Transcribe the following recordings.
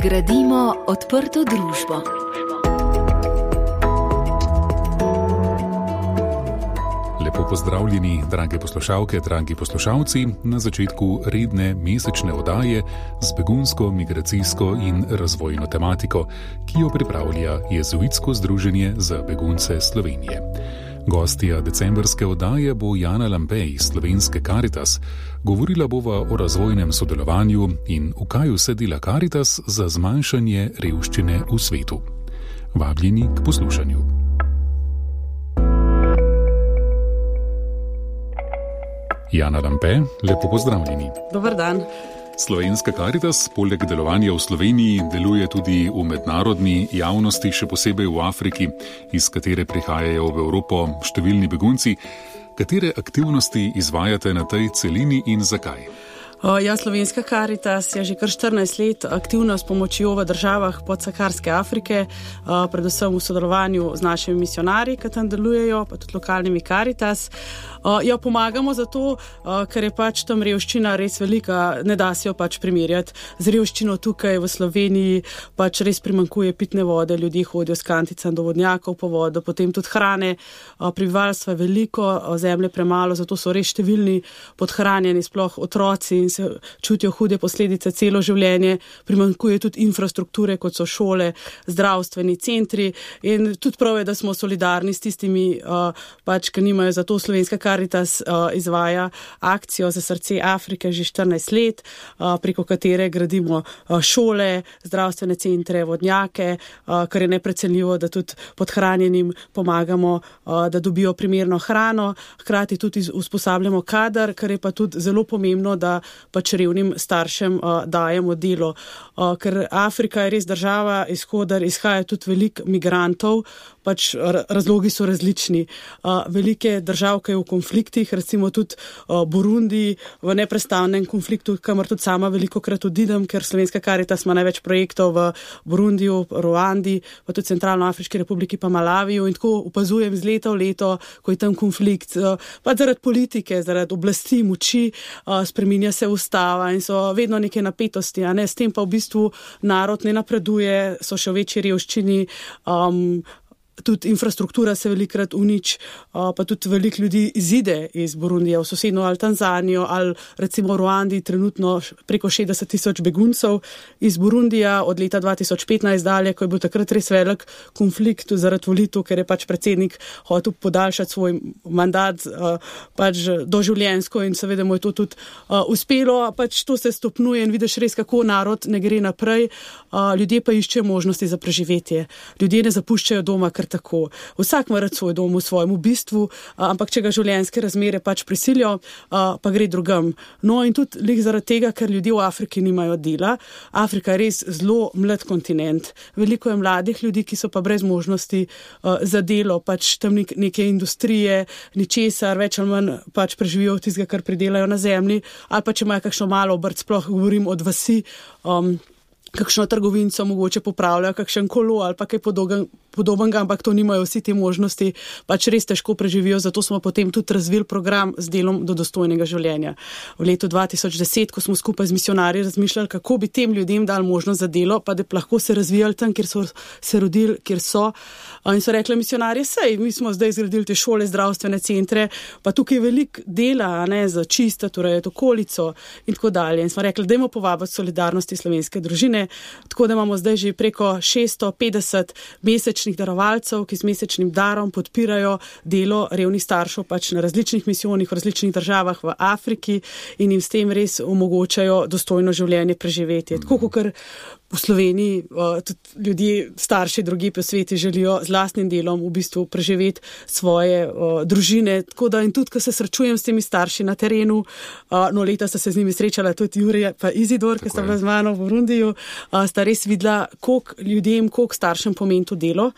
Gradimo odprto družbo. Lepo pozdravljeni, drage poslušalke, dragi poslušalci, na začetku redne mesečne oddaje z begunsko, migracijsko in razvojno tematiko, ki jo pripravlja Jezuitsko združenje za begunce Slovenije. Gostja decembrske oddaje bo Jana Lampe iz Slovenske Karitas. Govorila bova o razvojnem sodelovanju in v kaj vse dela Karitas za zmanjšanje revščine v svetu. Vabljeni k poslušanju. Jana Lampe, lepo pozdravljeni. Dober dan. Slovenska Karitas poleg delovanja v Sloveniji deluje tudi v mednarodni javnosti, še posebej v Afriki, iz katere prihajajo v Evropo številni begunci. Katere aktivnosti izvajate na tej celini in zakaj? Slovenska Karitas je že kar 14 let aktivna s pomočjo v državah podsaharske Afrike, predvsem v sodelovanju z našimi misionarji, ki tam delujejo, pa tudi lokalnimi Karitas. Pomagamo zato, ker je tam revščina res velika, ne da se jo primerjati z revščino tukaj v Sloveniji, res primanjkuje pitne vode, ljudje hodijo s kanticami do vodnjakov po vodo, potem tudi hrane, prebivalstva je veliko, zemlje premalo, zato so res številni podhranjeni, sploh otroci, in se čutijo hude posledice celo življenje, primanjkuje tudi infrastrukture, kot so šole, zdravstveni centri, in tudi prav je, da smo solidarni s tistimi, ki nimajo. Zato Slovenska Karitas izvaja akcijo za srce Afrike že 14 let, preko katere gradimo šole, zdravstvene centre, vodnjake, kar je neprecenljivo, da tudi podhranjenim pomagamo, da dobijo primerno hrano, hkrati tudi usposabljamo kader, kar je pa tudi zelo pomembno, da revnim staršem dajemo delo, ker Afrika je res država, iz koder izhaja tudi veliko migrantov, razlogi so različni. Velike držav, ki je v konfliktih, recimo tudi Burundi v neprestavnem konfliktu, kamor tudi sama velikokrat odidem, ker Slovenska Karitas ima največ projektov v Burundiju, Ruandi, pa tudi Centralnoafriški republiki, pa Malaviju, in tako opazujem z leta v leto, ko je tam konflikt, zaradi politike, zaradi oblasti, moči, spreminja se ustava in so vedno neke napetosti, s tem pa v bistvu narod ne napreduje, so še v večji revščini, tudi infrastruktura se velikrat uniči, pa tudi veliko ljudi izide iz Burundija v sosednjo ali Tanzanijo ali recimo v Ruandi trenutno preko 60,000 beguncev iz Burundija od leta 2015 dalje, ko je bil takrat res velik konflikt zaradi volitev, ker je predsednik hotel podaljšati svoj mandat doživljenjsko, in seveda mu je to tudi uspelo, to se stopnjuje in vidiš res, kako narod ne gre naprej, ljudje pa iščejo možnosti za preživetje, ljudje ne zapuščajo doma tako. Vsak mora svoj dom v svojem bistvu, ampak če ga življenjske razmere prisilijo, pa gre drugam. No in tudi zaradi tega, ker ljudje v Afriki nimajo dela. Afrika je res zelo mlad kontinent. Veliko je mladih ljudi, ki so pa brez možnosti za delo, tam neke industrije, ničesar, več ali manj preživijo od tistega, kar pridelajo na zemlji, ali pa če imajo kakšno malo obrt, sploh govorim od vasi, kakšno trgovinco mogoče popravljajo, kakšen kolo ali pa kaj podobnega, ampak to nimajo vsi te možnosti, res težko preživijo, zato smo potem tudi razvili program z delom do dostojnega življenja. V letu 2010, ko smo skupaj z misionarji razmišljali, kako bi tem ljudem dali možnost za delo, pa da lahko se razvijali tam, kjer so se rodili, kjer so. In so rekli misionarji, mi smo zdaj zgradili te šole, zdravstvene centre, pa tukaj je veliko dela, za čistiti, urejati okolico in tako dalje. In smo rekli, dajmo povabiti solidarnosti slovenske družine, tako da imamo zdaj že preko 650 mesečnih darovalcev, ki s mesečnim darom podpirajo delo revnih staršev na različnih misijonih v različnih državah v Afriki in jim s tem res omogočajo dostojno življenje preživeti. Tako kot v Sloveniji tudi ljudje, starši drugje po svetu želijo z lastnim delom v bistvu preživeti svoje družine. Tako da in tudi, ko se srečujem s temi starši na terenu, leta sta se z njimi srečala tudi Jurija pa Izidor, ki sta bila z mano v Burundiju, sta res videla, koliko staršem pomeni to delo.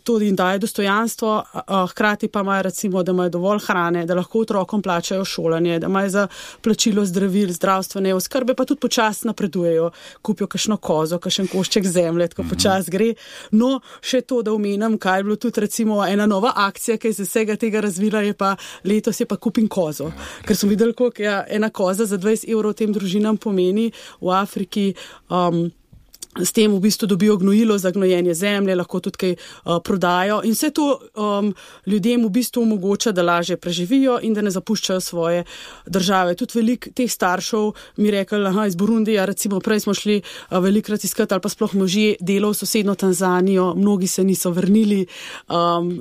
To jim daje dostojanstvo, hkrati pa imajo recimo, da imajo dovolj hrane, da lahko otrokom plačajo šolanje, da imajo za plačilo zdravil, zdravstvene oskrbe, pa tudi počasi napredujejo, kupijo kakšno kozo, kakšen košček zemlje, tako počasi gre. No, še to, da omenim, kaj je bilo tudi recimo ena nova akcija, ki je z vsega tega razvila, je pa letos je pa kupim kozo. Ker smo videli, koliko ena koza za 20 € tem družinam pomeni v Afriki. s tem v bistvu dobijo gnojilo za gnojenje zemlje, lahko tudi kaj prodajo in vse to ljudem v bistvu omogoča, da lažje preživijo in da ne zapuščajo svoje države. Tudi veliko teh staršev mi rekli, iz Burundija, recimo prej smo šli velikrat iskati ali pa sploh možje delo v sosedno Tanzanijo, mnogi se niso vrnili,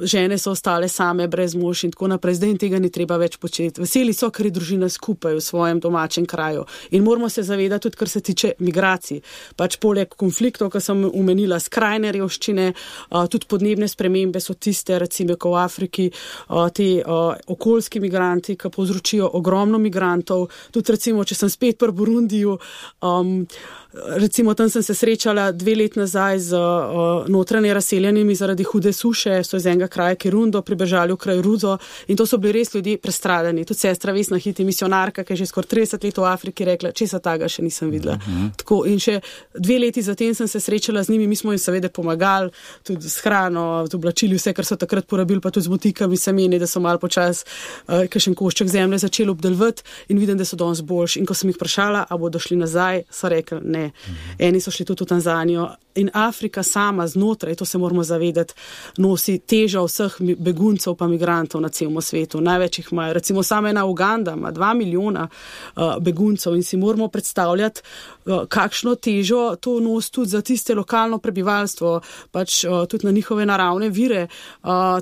žene so ostale same brez mož in tako naprej, zdaj in tega ni treba več početi. Veseli so, ker je družina skupaj v svojem domačem kraju in moramo se zavedati tudi, kar se tiče migracij. Pač poleg konfliktov, ki sem omenila, skrajne revščine, tudi podnebne spremembe so tiste, recimo v Afriki, te okoljski migranti, ki povzročijo ogromno migrantov. Tudi recimo, če sem spet pri Burundiju, recimo tam sem se srečala 2 leti nazaj z notranje razseljenimi zaradi hude suše, so iz enega kraja Kirundo pribežali v kraj Ruzo in to so bili res ljudje prestradani. Tudi sestra Vesna Hiti, misionarka, ki je že skoraj 30 let v Afriki, rekla, česa taga še nisem videla. Tako, in še 2 leti zatem sem se srečala z njimi, mi smo jim seveda pomagali, tudi s hrano, z oblačili, vse, kar so takrat porabili, pa tudi z motikami semeni, da so malo počas kakšen košček zemlje začeli obdelovati in vidim, da so danes boljši. In ko sem jih vprašala, a bodo šli nazaj, so rekli ne. Eni so šli tudi v Tanzanijo in Afrika sama znotraj, to se moramo zavedati, nosi težo vseh beguncev pa migrantov na celem svetu. Največ jih imajo. Recimo sama ena Uganda ima 2 milijona beguncev in si moramo predstavljati, kakšno težo to nosi tudi za tiste lokalno prebivalstvo, pač tudi na njihove naravne vire.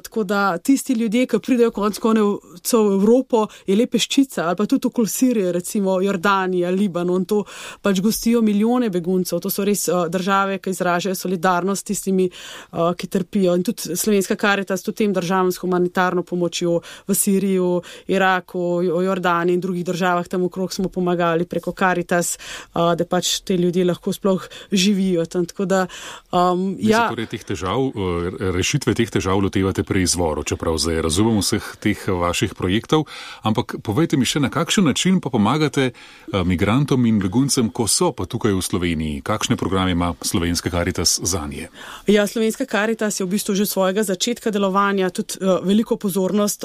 Tako da tisti ljudje, ki pridejo konec koncev v Evropo, je le peščica, ali pa tudi okoli Sirije, recimo Jordanija, Libanon, to pač gostijo milijone beguncev. To so res države, ki izražajo solidarnost tistimi, ki trpijo. In tudi Slovenska Karitas tudi tem državam s humanitarno pomočjo v Siriji, Iraku, Jordaniji in drugih državah tam okrog smo pomagali preko Karitas, da pač te ljudje lahko sploh živijo tam. Tako da, torej teh težav, rešitve teh težav lotevate pri izvoru, čeprav zdaj razumem vseh teh vaših projektov, ampak povejte mi še, na kakšen način pa pomagate migrantom in beguncem, ko so pa tukaj v Sloveniji? Kakšne programe ima Slovenska Karitas zanje? Ja, Slovenska Karitas je v bistvu že svojega začetka delovanja tudi veliko pozornost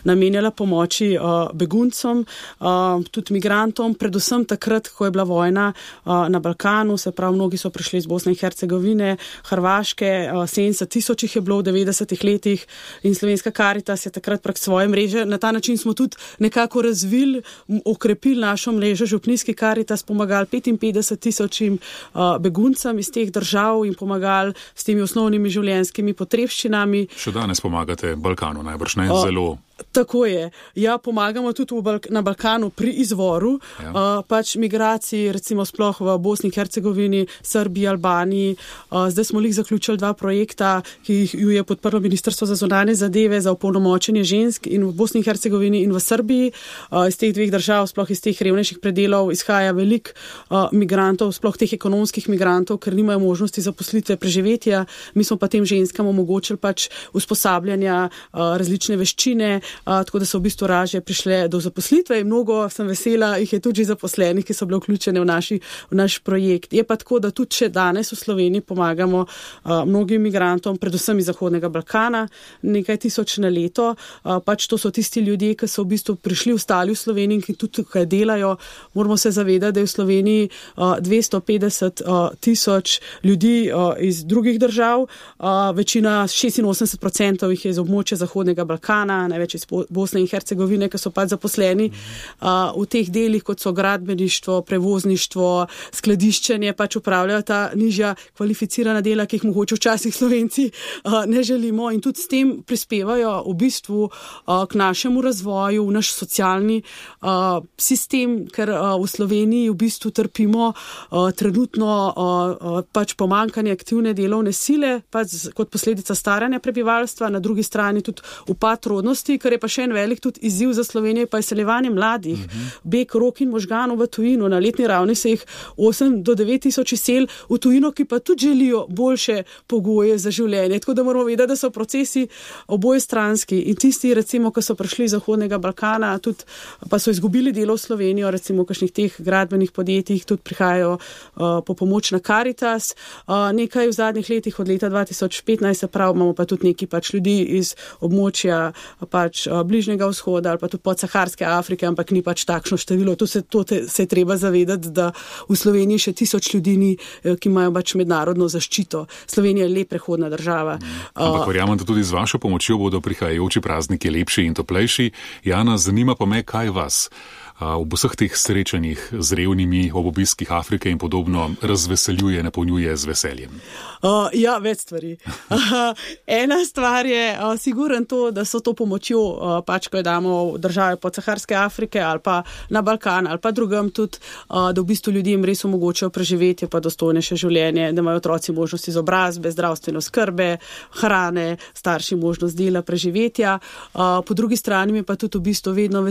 namenjala pomoči beguncom, tudi migrantom, predvsem takrat, ko je bila vojna na Balkanu, se pravi, mnogi so prišli iz Bosne in Hercegovine, Hrvaške, 70,000 jih je bilo v 90-ih letih in Slovenska Karitas je takrat prek svoje mreže. Na ta način smo tudi nekako razvili, okrepili našo mrežo Župnijski Karitas, pomagali 55,000 beguncem iz teh držav in pomagali s temi osnovnimi življenjskimi potrebščinami. Še danes pomagate Balkanu, najbrž ne zelo. Tako je. Ja, pomagamo tudi na Balkanu pri izvoru, pač migraciji, recimo sploh v Bosni in Hercegovini, Srbiji, Albaniji. Zdaj smo zaključili 2 projekta, ki ju je podprlo Ministrstvo za zunanje zadeve za opolnomočenje žensk in v Bosni in Hercegovini in v Srbiji. Iz teh 2 držav, sploh iz teh revnejših predelov, izhaja veliko migrantov, sploh teh ekonomskih migrantov, ker nimajo možnosti zaposlitve, preživetja. Mi smo pa tem ženskam omogočili pač usposabljanja, različne veščine, tako da so v bistvu raje prišle do zaposlitve in mnogo sem vesela, jih je tudi zaposlenih, ki so bile vključene v naš projekt. Je pa tako, da tudi še danes v Sloveniji pomagamo mnogim migrantom, predvsem iz Zahodnega Balkana, nekaj tisoč na leto. Pač to so tisti ljudje, ki so v bistvu prišli, ostali v Sloveniji in ki tudi tukaj delajo. Moramo se zavedati, da je v Sloveniji 250,000 ljudi iz drugih držav, večina 86% jih je iz območja Zahodnega Balkana, največ iz Bosne in Hercegovine, ki so pač zaposleni v teh delih, kot so gradbeništvo, prevozništvo, skladiščenje, pač upravljajo ta nižja kvalificirana dela, ki jih mogoče včasih Slovenci ne želimo in tudi s tem prispevajo v bistvu k našemu razvoju, v naš socialni sistem, ker v Sloveniji v bistvu trpimo trenutno pač pomanjkanje aktivne delovne sile, pač kot posledica staranja prebivalstva, na drugi strani tudi upad rodnosti, kar je pa še en velik tudi izziv za Slovenijo, pa je izseljevanje mladih. Beg rok in možganov v tujino. Na letni ravni se jih 8 do 9 tisoč izsel v tujino, ki pa tudi želijo boljše pogoje za življenje. Tako da moramo vedeti, da so procesi obojestranski in tisti, recimo, ki so prišli iz Zahodnega Balkana, tudi pa so izgubili delo v Slovenijo, recimo v kakšnih teh gradbenih podjetjih, tudi prihajajo po pomoč na Karitas. Nekaj v zadnjih letih, od leta 2015, se pravi, imamo pa tudi neki pač ljudi iz območja pač pač Bližnjega vzhoda ali pa tudi podsaharske Afrike, ampak ni pač takšno število. To se je treba zavedati, da v Sloveniji še 1000 ljudi ni, ki imajo pač mednarodno zaščito. Slovenija je le prehodna država. Ampak verjamem, da tudi z vašo pomočjo bodo prihajajoči prazniki lepši in toplejši. Jana, zanima pa me, kaj vas ob vseh teh srečanjih z revnimi, ob obiskih Afrike in podobno razveseljuje, napolnjuje z veseljem? Ja, več stvari. Ena stvar je sigurno to, da so to pomočjo, pač ko jo damo v države podsaharske Afrike ali pa na Balkan ali pa drugam tudi, da v bistvu ljudem res omogočajo preživetje pa dostojnejše življenje, da imajo otroci možnost izobrazbe, zdravstvene oskrbe, hrane, starši možnost dela, preživetja. Po drugi strani me pa tudi v bistvu vedno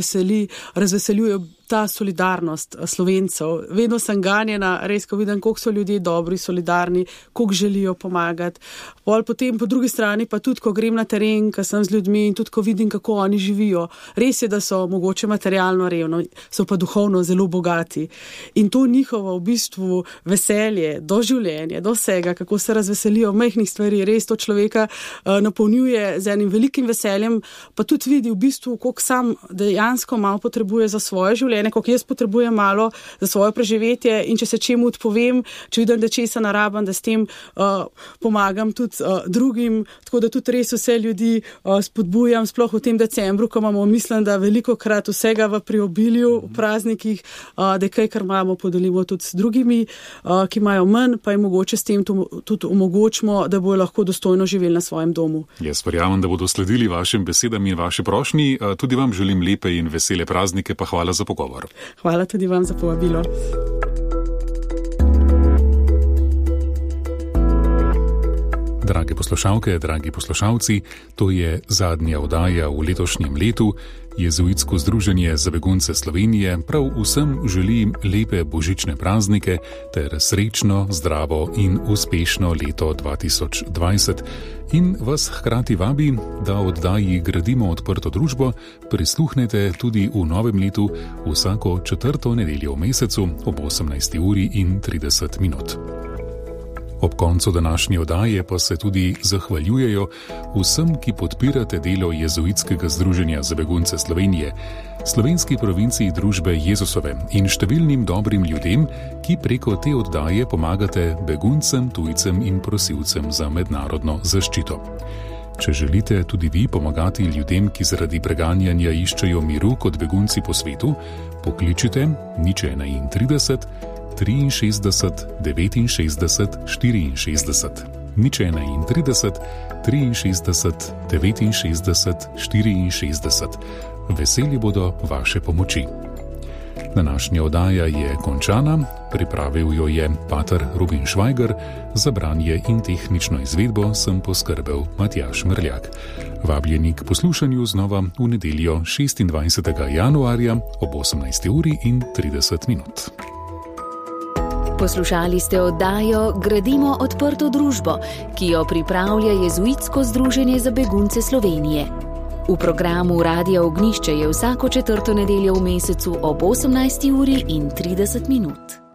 razveseljuje ta solidarnost Slovencev. Vedno sem ganjena, res, ko vidim, koliko so ljudje dobri, solidarni, koliko želijo pomagati. Potem po drugi strani pa tudi, ko grem na teren, ko sem z ljudmi in tudi, ko vidim, kako oni živijo. Res je, da so mogoče materialno revno, so pa duhovno zelo bogati. In to njihovo v bistvu veselje do življenja, do vsega, kako se razveselijo majhnih stvari, res to človeka napolnjuje z enim velikim veseljem, pa tudi vidi v bistvu, koliko sam dejansko malo potrebuje za svoje življenje, koliko jaz potrebujem malo za svoje preživetje in če se čemu odpovem, če vidim, da česa narabam, da s tem pomagam tudi drugim, tako da tudi res vse ljudi spodbujam, sploh v tem decembru, ko imamo, mislim, da veliko krat vsega v priobilju, v praznikih, da kaj, kar imamo, podelimo tudi s drugimi, ki imajo manj, pa jim mogoče s tem tudi omogočimo, da bojo lahko dostojno živeli na svojem domu. Jaz verjamem, da bodo sledili vašim besedam in vaši prošnji. Tudi vam želim lepe in vesele praznike, pa hvala za pogovor. Hvala tudi vam za povabilo. Drage poslušalke, dragi poslušalci, to je zadnja oddaja v letošnjem letu. Jezuitsko združenje za begunce Slovenije prav vsem želi lepe božične praznike ter srečno, zdravo in uspešno leto 2020 in vas hkrati vabi, da oddaji Gradimo odprto družbo prisluhnete tudi v novem letu vsako 4. nedeljo v mesecu ob 18:30. Ob koncu današnje oddaje pa se tudi zahvaljujejo vsem, ki podpirate delo Jezuitskega združenja za begunce Slovenije, slovenski provinciji družbe Jezusove in številnim dobrim ljudem, ki preko te oddaje pomagate beguncem, tujcem in prosilcem za mednarodno zaščito. Če želite tudi vi pomagati ljudem, ki zaradi preganjanja iščejo miru kot begunci po svetu, pokličite 031 63 69 64. 031 63 69 64. Veseli bodo vaše pomoči. Današnja oddaja je končana, pripravil jo je pater Rubin Švajger, za branje in tehnično izvedbo sem poskrbel Matjaž Mrljak. Vabljeni k poslušanju znova v nedeljo 26. januarja ob 18:30. Poslušali ste oddajo Gradimo odprto družbo, ki jo pripravlja Jezuitsko združenje za begunce Slovenije. V programu Radia Ognjišče je vsako 4. nedeljo v mesecu ob 18:30.